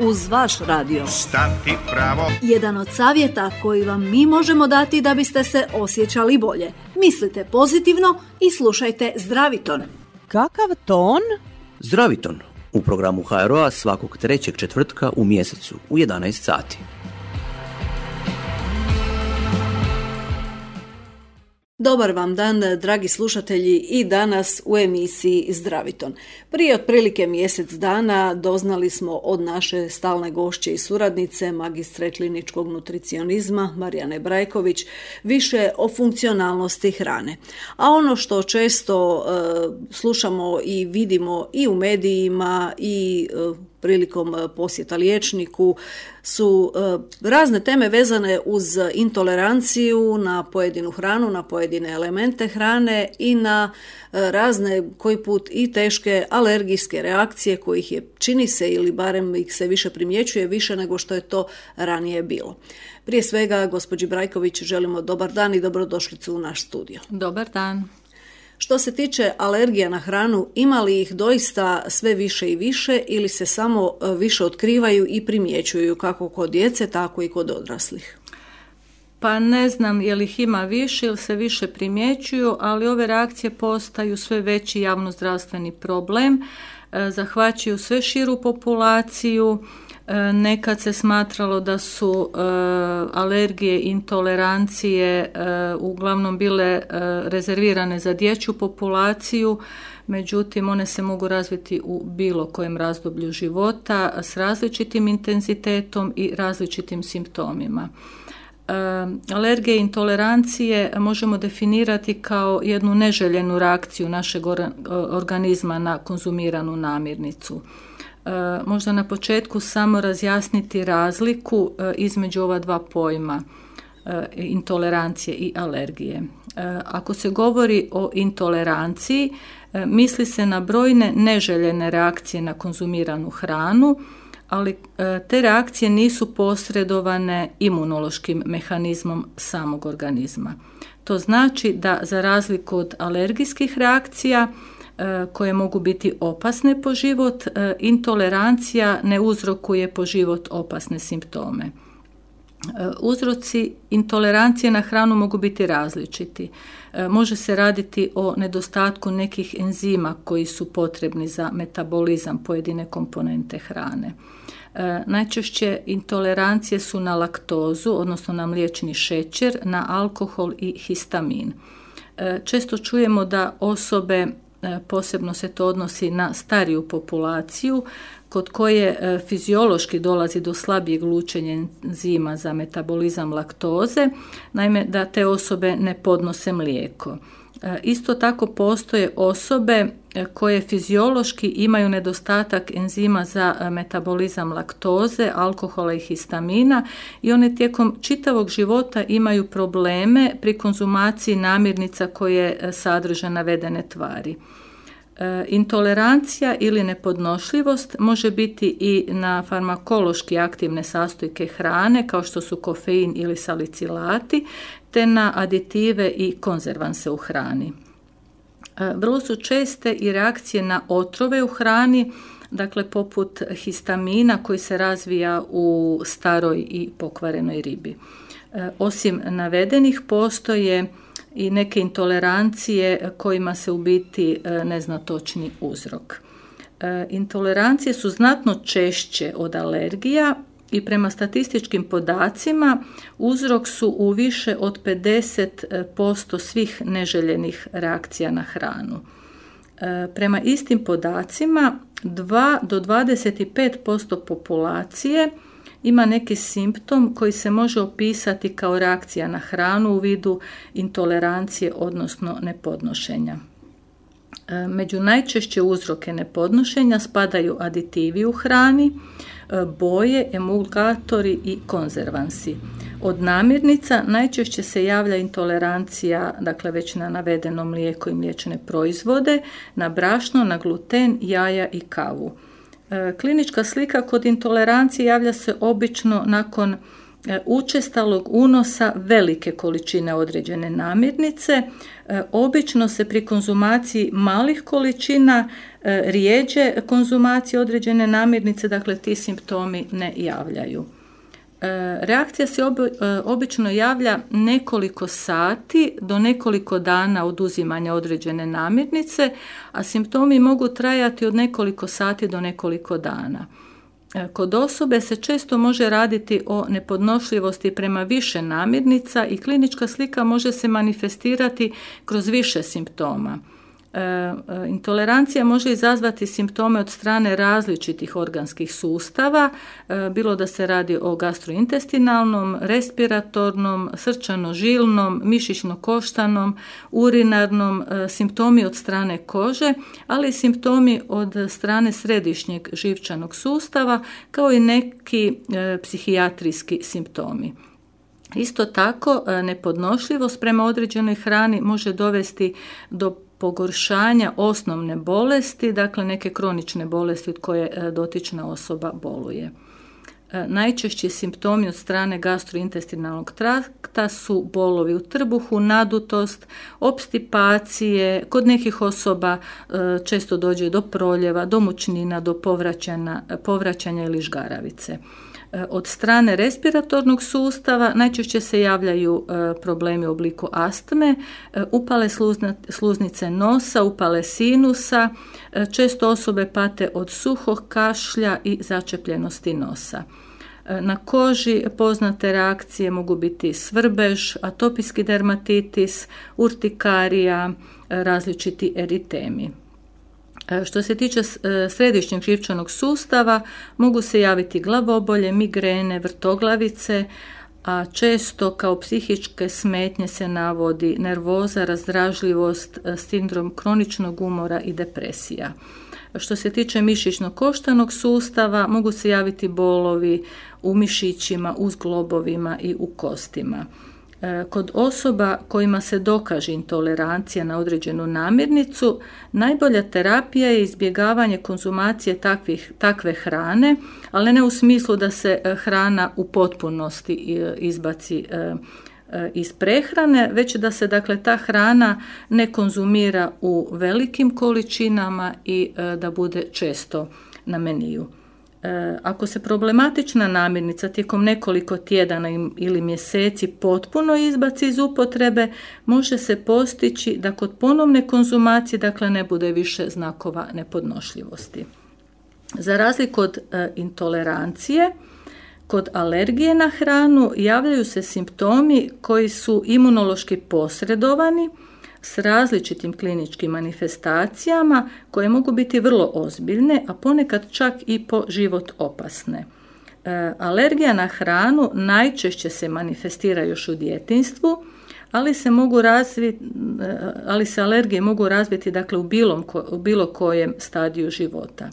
uz vaš radio. Stati pravo. Jedan od savjeta koji vam mi možemo dati da biste se osjećali bolje. Mislite pozitivno i slušajte Zdraviton. Kakav ton? Zdraviton u programu HRO-a svakog trećeg četvrtka u mjesecu u 11 sati. Dobar vam dan, dragi slušatelji, i danas u emisiji Zdraviton. Prije otprilike mjesec dana doznali smo od naše stalne gošće i suradnice, magistre kliničkog nutricionizma Marijane Brajković, više o funkcionalnosti hrane. A ono što često slušamo i vidimo i u medijima i prilikom posjeta liječniku su razne teme vezane uz intoleranciju na pojedinu hranu, na pojedine elemente hrane i na razne, koji put i teške alergijske reakcije kojih je, čini se, ili barem ih se više primjećuje, više nego što je to ranije bilo. Prije svega, gospođi Brajković, želimo dobar dan i dobrodošlicu u naš studio. Dobar dan. Što se tiče alergija na hranu, ima li ih doista sve više i više ili se samo više otkrivaju i primjećuju kako kod djece, tako i kod odraslih? Pa ne znam je li ih ima više ili se više primjećuju, ali ove reakcije postaju sve veći javnozdravstveni problem, zahvaćaju sve širu populaciju. Nekad se smatralo da su alergije, intolerancije uglavnom bile rezervirane za dječju populaciju, međutim one se mogu razviti u bilo kojem razdoblju života s različitim intenzitetom i različitim simptomima. Alergije i intolerancije možemo definirati kao jednu neželjenu reakciju našeg organizma na konzumiranu namirnicu. Možda na početku samo razjasniti razliku između ova dva pojma, intolerancije i alergije. Ako se govori o intoleranciji, misli se na brojne neželjene reakcije na konzumiranu hranu, ali te reakcije nisu posredovane imunološkim mehanizmom samog organizma. To znači da za razliku od alergijskih reakcija koje mogu biti opasne po život, intolerancija ne uzrokuje po život opasne simptome. Uzroci intolerancije na hranu mogu biti različiti. Može se raditi o nedostatku nekih enzima koji su potrebni za metabolizam pojedine komponente hrane. Najčešće intolerancije su na laktozu, odnosno na mliječni šećer, na alkohol i histamin. Često čujemo da osobe, posebno se to odnosi na stariju populaciju, kod koje fiziološki dolazi do slabijeg lučenja enzima za metabolizam laktoze, naime da te osobe ne podnose mlijeko. Isto tako postoje osobe koje fiziološki imaju nedostatak enzima za metabolizam laktoze, alkohola i histamina i one tijekom čitavog života imaju probleme pri konzumaciji namirnica koje sadrže navedene tvari. Intolerancija ili nepodnošljivost može biti i na farmakološki aktivne sastojke hrane kao što su kofein ili salicilati, te na aditive i konzervanse u hrani. Vrlo su česte i reakcije na otrove u hrani, dakle poput histamina koji se razvija u staroj i pokvarenoj ribi. Osim navedenih postoje i neke intolerancije kojima se u biti ne zna točni uzrok. Intolerancije su znatno češće od alergija i prema statističkim podacima uzrok su u više od 50% svih neželjenih reakcija na hranu. Prema istim podacima 2 do 25% populacije ima neki simptom koji se može opisati kao reakcija na hranu u vidu intolerancije, odnosno nepodnošenja. Među najčešće uzroke nepodnošenja spadaju aditivi u hrani, boje, emulgatori i konzervansi. Od namirnica najčešće se javlja intolerancija, dakle već na navedeno mlijeko i mliječne proizvode, na brašno, na gluten, jaja i kavu. Klinička slika kod intolerancije javlja se obično nakon učestalog unosa velike količine određene namirnice. Obično se pri konzumaciji malih količina rijeđe konzumacije određene namirnice, dakle ti simptomi ne javljaju. Reakcija se obično javlja nekoliko sati do nekoliko dana od uzimanja određene namirnice, a simptomi mogu trajati od nekoliko sati do nekoliko dana. Kod osobe se često može raditi o nepodnošljivosti prema više namirnica i klinička slika može se manifestirati kroz više simptoma. Intolerancija može izazvati simptome od strane različitih organskih sustava, bilo da se radi o gastrointestinalnom, respiratornom, srčano-žilnom, mišićno-koštanom, urinarnom, simptomi od strane kože, ali i simptomi od strane središnjeg živčanog sustava, kao i neki psihijatrijski simptomi. Isto tako, nepodnošljivost prema određenoj hrani može dovesti do pogoršanja osnovne bolesti, dakle neke kronične bolesti od koje dotična osoba boluje. Najčešći simptomi od strane gastrointestinalnog trakta su bolovi u trbuhu, nadutost, opstipacije, kod nekih osoba često dođe do proljeva, do mučnina, do povraćanja ili žgaravice. Od strane respiratornog sustava najčešće se javljaju problemi u obliku astme, upale sluznice nosa, upale sinusa, često osobe pate od suhog kašlja i začepljenosti nosa. Na koži poznate reakcije mogu biti svrbež, atopijski dermatitis, urtikarija, različiti eritemi. Što se tiče središnjeg živčanog sustava, mogu se javiti glavobolje, migrene, vrtoglavice, a često kao psihičke smetnje se navodi nervoza, razdražljivost, sindrom kroničnog umora i depresija. Što se tiče mišićno-koštanog sustava, mogu se javiti bolovi u mišićima, u zglobovima i u kostima. Kod osoba kojima se dokaže intolerancija na određenu namirnicu, najbolja terapija je izbjegavanje konzumacije takve hrane, ali ne u smislu da se hrana u potpunosti izbaci iz prehrane, već da se dakle ta hrana ne konzumira u velikim količinama i da bude često na meniju. Ako se problematična namirnica tijekom nekoliko tjedana ili mjeseci potpuno izbaci iz upotrebe, može se postići da kod ponovne konzumacije dakle ne bude više znakova nepodnošljivosti. Za razliku od intolerancije, kod alergije na hranu javljaju se simptomi koji su imunološki posredovani s različitim kliničkim manifestacijama koje mogu biti vrlo ozbiljne, a ponekad čak i po život opasne. Alergija na hranu najčešće se manifestira još u djetinjstvu, ali se alergije mogu razviti dakle u bilo kojem stadiju života.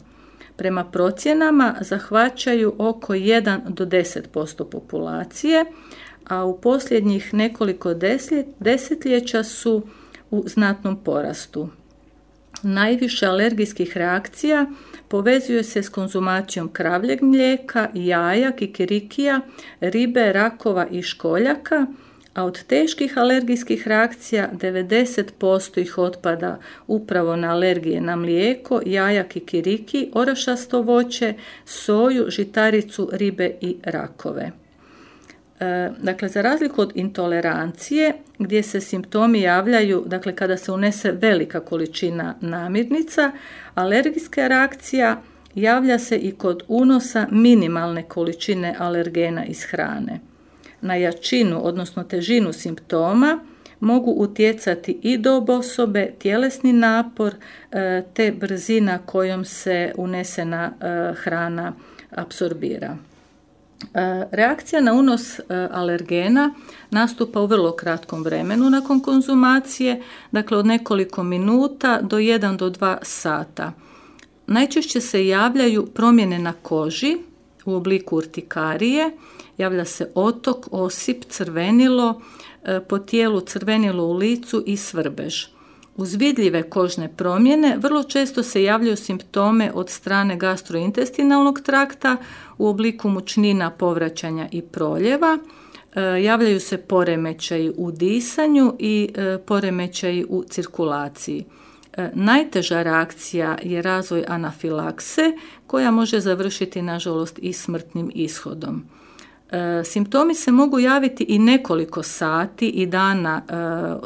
Prema procjenama zahvaćaju oko 1 do 10% populacije, a u posljednjih nekoliko desetljeća su u znatnom porastu. Najviše alergijskih reakcija povezuje se s konzumacijom kravljeg mlijeka, jaja, kikirikija, ribe, rakova i školjaka, a od teških alergijskih reakcija 90% ih otpada upravo na alergije na mlijeko, jaja, kikiriki, orašasto voće, soju, žitaricu, ribe i rakove. Dakle, za razliku od intolerancije, gdje se simptomi javljaju dakle, kada se unese velika količina namirnica, alergijska reakcija javlja se i kod unosa minimalne količine alergena iz hrane. Na jačinu, odnosno težinu simptoma, mogu utjecati i dob osobe, tjelesni napor, te brzina kojom se unesena hrana apsorbira. Reakcija na unos alergena nastupa u vrlo kratkom vremenu nakon konzumacije, dakle od nekoliko minuta do 1 do 2 sata. Najčešće se javljaju promjene na koži u obliku urtikarije, javlja se otok, osip, crvenilo, po tijelu crvenilo u licu i svrbež. Uz vidljive kožne promjene vrlo često se javljaju simptome od strane gastrointestinalnog trakta u obliku mučnina, povraćanja i proljeva. Javljaju se poremećaji u disanju i poremećaji u cirkulaciji. Najteža reakcija je razvoj anafilakse koja može završiti nažalost i smrtnim ishodom. Simptomi se mogu javiti i nekoliko sati i dana,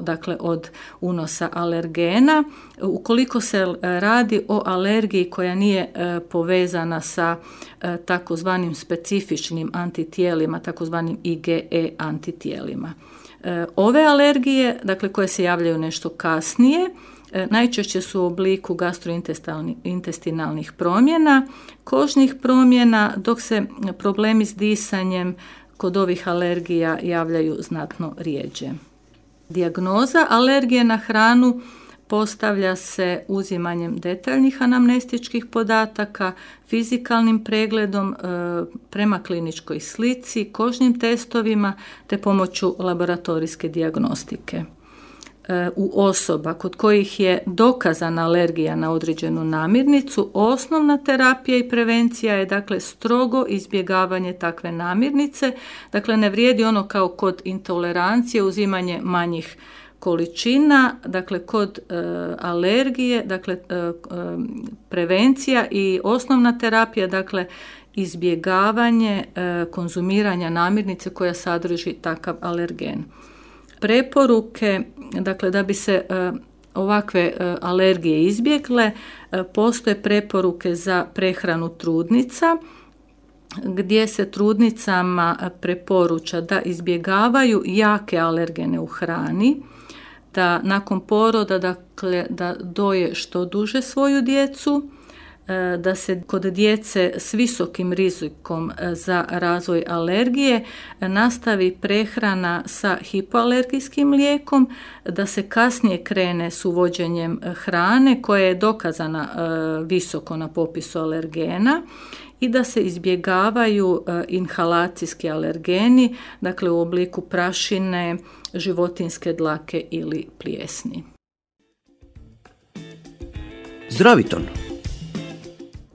dakle od unosa alergena, ukoliko se radi o alergiji koja nije povezana sa takozvanim specifičnim antitijelima, takozvanim IgE antitijelima. Ove alergije, dakle koje se javljaju nešto kasnije, najčešće su u obliku gastrointestinalnih promjena, kožnih promjena, dok se problemi s disanjem kod ovih alergija javljaju znatno rjeđe. Dijagnoza alergije na hranu postavlja se uzimanjem detaljnih anamnestičkih podataka, fizikalnim pregledom prema kliničkoj slici, kožnim testovima te pomoću laboratorijske dijagnostike. U osoba kod kojih je dokazana alergija na određenu namirnicu, osnovna terapija i prevencija je dakle strogo izbjegavanje takve namirnice. Dakle, ne vrijedi ono kao kod intolerancije, uzimanje manjih količina, dakle kod alergije, dakle prevencija i osnovna terapija, dakle izbjegavanje konzumiranja namirnice koja sadrži takav alergen. Preporuke, dakle da bi se ovakve alergije izbjegle, postoje preporuke za prehranu trudnica, gdje se trudnicama preporuča da izbjegavaju jake alergene u hrani, da nakon poroda, dakle, da doje što duže svoju djecu, da se kod djece s visokim rizikom za razvoj alergije nastavi prehrana sa hipoalergijskim lijekom, da se kasnije krene s uvođenjem hrane koja je dokazana visoko na popisu alergena i da se izbjegavaju inhalacijski alergeni, dakle u obliku prašine, životinjske dlake ili plijesni. Zdraviton.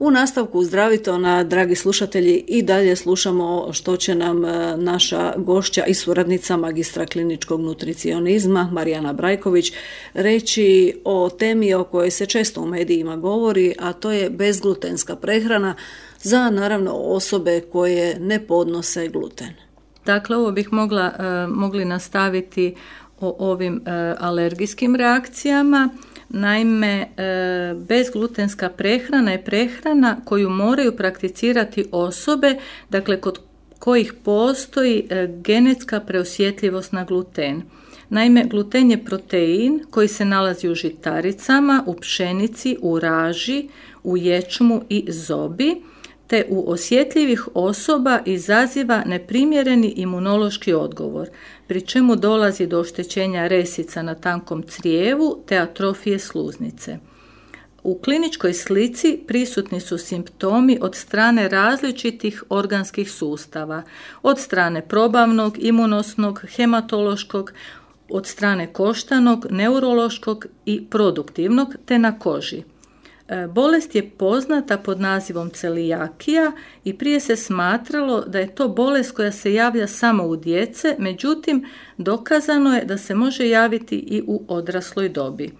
U nastavku Zdravitona, dragi slušatelji, i dalje slušamo što će nam naša gošća i suradnica magistra kliničkog nutricionizma Marijana Brajković reći o temi o kojoj se često u medijima govori, a to je bezglutenska prehrana za naravno osobe koje ne podnose gluten. Dakle, ovo bih mogli nastaviti o ovim alergijskim reakcijama. Naime, bezglutenska prehrana je prehrana koju moraju prakticirati osobe, dakle kod kojih postoji genetska preosjetljivost na gluten. Naime, gluten je protein koji se nalazi u žitaricama, u pšenici, u raži, u ječmu i zobi, te u osjetljivih osoba izaziva neprimjereni imunološki odgovor, pri čemu dolazi do oštećenja resica na tankom crijevu te atrofije sluznice. U kliničkoj slici prisutni su simptomi od strane različitih organskih sustava, od strane probavnog, imunosnog, hematološkog, od strane koštanog, neurološkog i produktivnog te na koži. Bolest je poznata pod nazivom celijakija i prije se smatralo da je to bolest koja se javlja samo u djece, međutim dokazano je da se može javiti i u odrasloj dobi.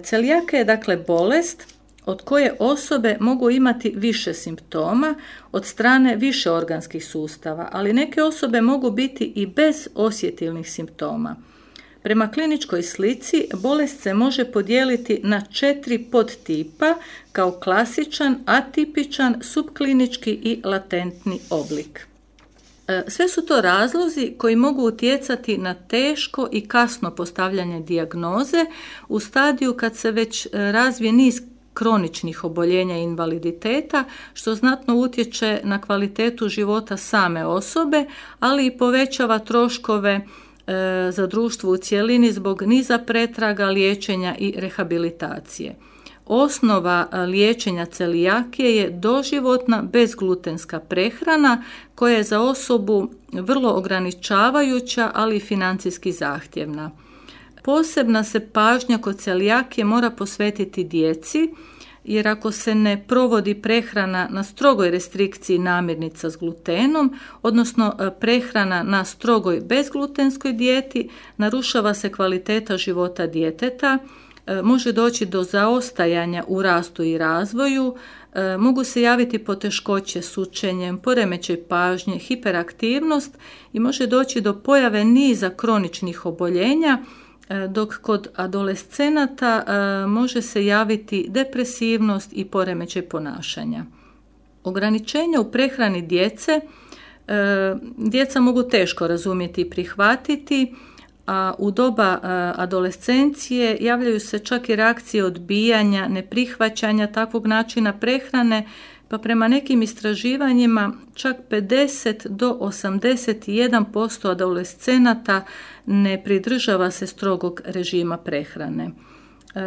Celijakija je dakle bolest od koje osobe mogu imati više simptoma od strane više organskih sustava, ali neke osobe mogu biti i bez osjetilnih simptoma. Prema kliničkoj slici bolest se može podijeliti na 4 podtipa kao klasičan, atipičan, subklinički i latentni oblik. Sve su to razlozi koji mogu utjecati na teško i kasno postavljanje dijagnoze u stadiju kad se već razvije niz kroničnih oboljenja i invaliditeta, što znatno utječe na kvalitetu života same osobe, ali i povećava troškove za društvo u cjelini zbog niza pretraga, liječenja i rehabilitacije. Osnova liječenja celijakije je doživotna bezglutenska prehrana koja je za osobu vrlo ograničavajuća, ali i financijski zahtjevna. posebna se pažnja kod celijakije mora posvetiti djeci, jer ako se ne provodi prehrana na strogoj restrikciji namirnica s glutenom, odnosno prehrana na strogoj bezglutenskoj dijeti, narušava se kvaliteta života djeteta, može doći do zaostajanja u rastu i razvoju, mogu se javiti poteškoće s učenjem, poremećaj pažnje, hiperaktivnost i može doći do pojave niza kroničnih oboljenja, dok kod adolescenata može se javiti depresivnost i poremećaj ponašanja. Ograničenja u prehrani djece, djeca mogu teško razumjeti i prihvatiti, a u doba adolescencije javljaju se čak i reakcije odbijanja, neprihvaćanja takvog načina prehrane, pa prema nekim istraživanjima čak 50 do 81% adolescenata ne pridržava se strogog režima prehrane.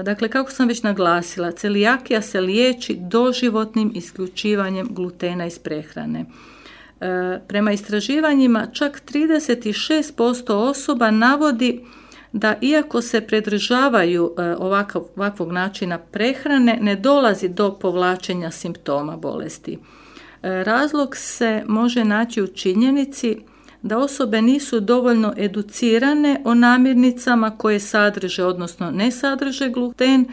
Dakle, kako sam već naglasila, celijakija se liječi doživotnim isključivanjem glutena iz prehrane. Prema istraživanjima čak 36% osoba navodi da iako se pridržavaju ovakvog načina prehrane, ne dolazi do povlačenja simptoma bolesti. Razlog se može naći u činjenici da osobe nisu dovoljno educirane o namirnicama koje sadrže, odnosno ne sadrže gluten,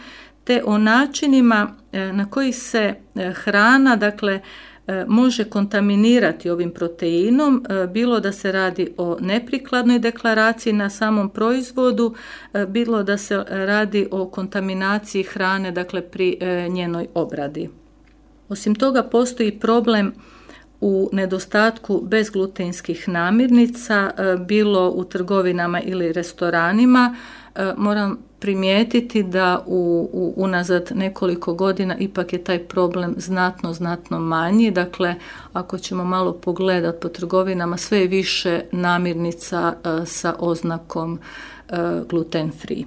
te o načinima na koji se hrana, dakle, može kontaminirati ovim proteinom, bilo da se radi o neprikladnoj deklaraciji na samom proizvodu, bilo da se radi o kontaminaciji hrane, dakle pri njenoj obradi. Osim toga, postoji problem u nedostatku bezglutenskih namirnica, bilo u trgovinama ili restoranima. Moram primijetiti da unazad nekoliko godina ipak je taj problem znatno manji. Dakle, ako ćemo malo pogledati po trgovinama, sve je više namirnica sa oznakom gluten free.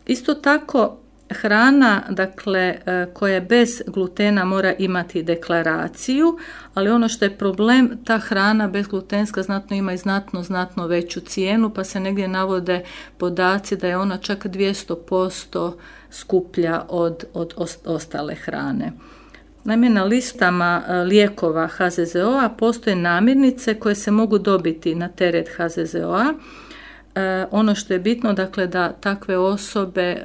Isto tako, hrana, dakle, koja je bez glutena mora imati deklaraciju, ali ono što je problem, ta hrana bezglutenska ima i znatno veću cijenu, pa se negdje navode podaci da je ona čak 200% skuplja od ostale hrane. Naime, na listama lijekova HZZO-a postoje namirnice koje se mogu dobiti na teret HZZO-a. Ono što je bitno, dakle, da takve osobe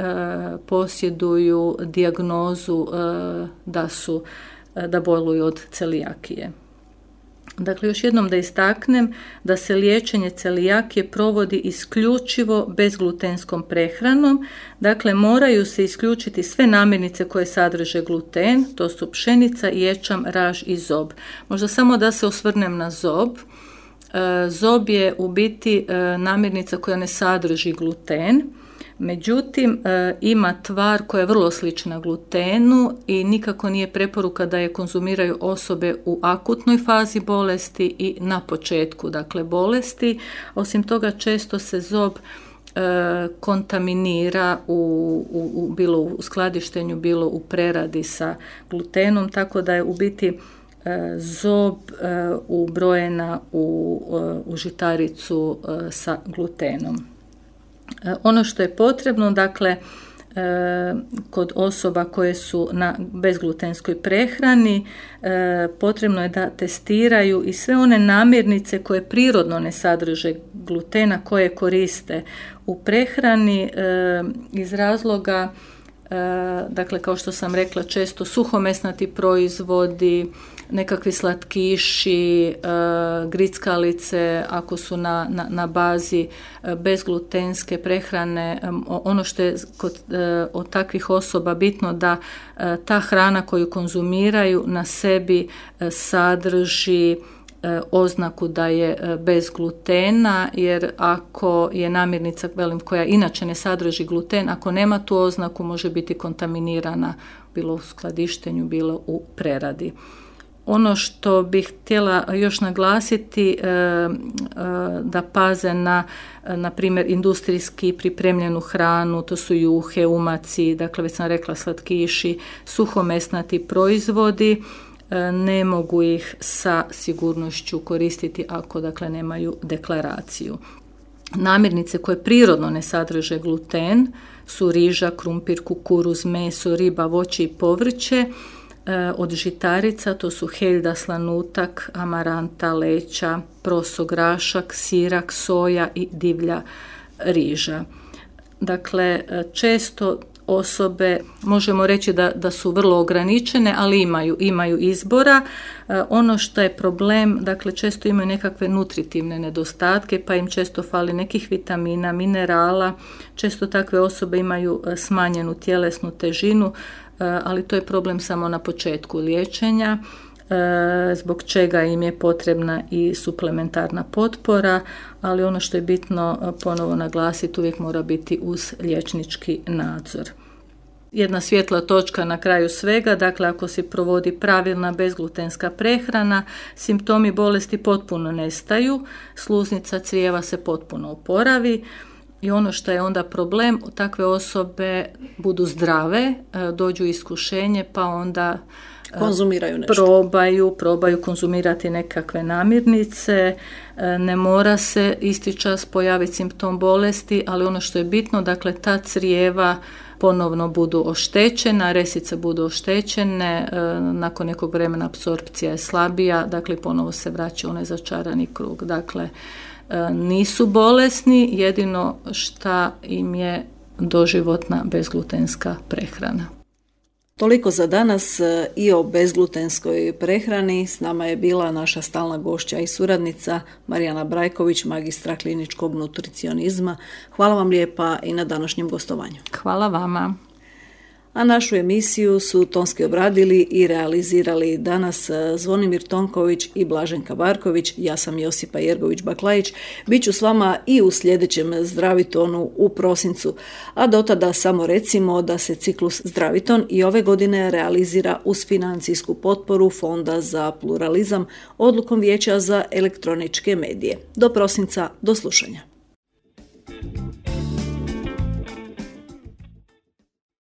posjeduju dijagnozu da boluju od celijakije. Dakle, još jednom da istaknem da se liječenje celijakije provodi isključivo bezglutenskom prehranom. Dakle, moraju se isključiti sve namirnice koje sadrže gluten, to su pšenica, ječam, raž i zob. Možda samo da se osvrnem na zob. Zob je u biti namirnica koja ne sadrži gluten, međutim ima tvar koja je vrlo slična glutenu i nikako nije preporuka da je konzumiraju osobe u akutnoj fazi bolesti i na početku, dakle, bolesti. Osim toga, često se zob kontaminira bilo u skladištenju, bilo u preradi sa glutenom, tako da je u biti zob ubrojena u žitaricu sa glutenom. Ono što je potrebno, dakle, kod osoba koje su na bezglutenskoj prehrani, potrebno je da testiraju i sve one namirnice koje prirodno ne sadrže glutena, koje koriste u prehrani iz razloga, dakle, kao što sam rekla, često suhomesnati proizvodi, nekakvi slatkiši, grickalice, ako su na bazi bezglutenske prehrane. Ono što je od takvih osoba bitno, da ta hrana koju konzumiraju na sebi sadrži oznaku da je bez glutena, jer ako je namirnica, koja inače ne sadrži gluten, ako nema tu oznaku, može biti kontaminirana bilo u skladištenju, bilo u preradi. Ono što bih htjela još naglasiti, da paze na primjer, industrijski pripremljenu hranu, to su juhe, umaci, dakle već sam rekla slatkiši, suhomesnati proizvodi, ne mogu ih sa sigurnošću koristiti ako, dakle, nemaju deklaraciju. Namirnice koje prirodno ne sadrže gluten su riža, krumpir, kukuruz, meso, riba, voće i povrće. Od žitarica to su heljda, slanutak, amaranta, leća, proso, grašak, sirak, soja i divlja riža. Dakle, često osobe, možemo reći da su vrlo ograničene, ali imaju izbora. Ono što je problem, dakle, često imaju nekakve nutritivne nedostatke, pa im često fali nekih vitamina, minerala. Često takve osobe imaju smanjenu tjelesnu težinu, ali to je problem samo na početku liječenja, zbog čega im je potrebna i suplementarna potpora, ali ono što je bitno ponovo naglasiti, uvijek mora biti uz liječnički nadzor. Jedna svjetla točka na kraju svega, dakle ako se provodi pravilna bezglutenska prehrana, simptomi bolesti potpuno nestaju, sluznica crijeva se potpuno oporavi. I ono što je onda problem, takve osobe budu zdrave, dođu u iskušenje, pa onda konzumiraju nešto. Probaju konzumirati nekakve namirnice, ne mora se isti čas pojaviti simptom bolesti, ali ono što je bitno, dakle ta crijeva ponovno budu oštećena, resice budu oštećene, nakon nekog vremena apsorpcija je slabija, dakle ponovo se vraća u onaj začarani krug. Dakle, nisu bolesni, jedino šta im je doživotna bezglutenska prehrana. Toliko za danas i o bezglutenskoj prehrani. S nama je bila naša stalna gošća i suradnica Marijana Brajković, magistra kliničkog nutricionizma. Hvala vam lijepa i na današnjem gostovanju. Hvala vama. A našu emisiju su tonski obradili i realizirali danas Zvonimir Tonković i Blaženka Barković. Ja sam Josipa Jergović-Baklajić. Biću s vama i u sljedećem Zdravitonu u prosincu. A do tada samo recimo da se ciklus Zdraviton i ove godine realizira uz financijsku potporu Fonda za pluralizam odlukom Vijeća za elektroničke medije. Do prosinca, do slušanja.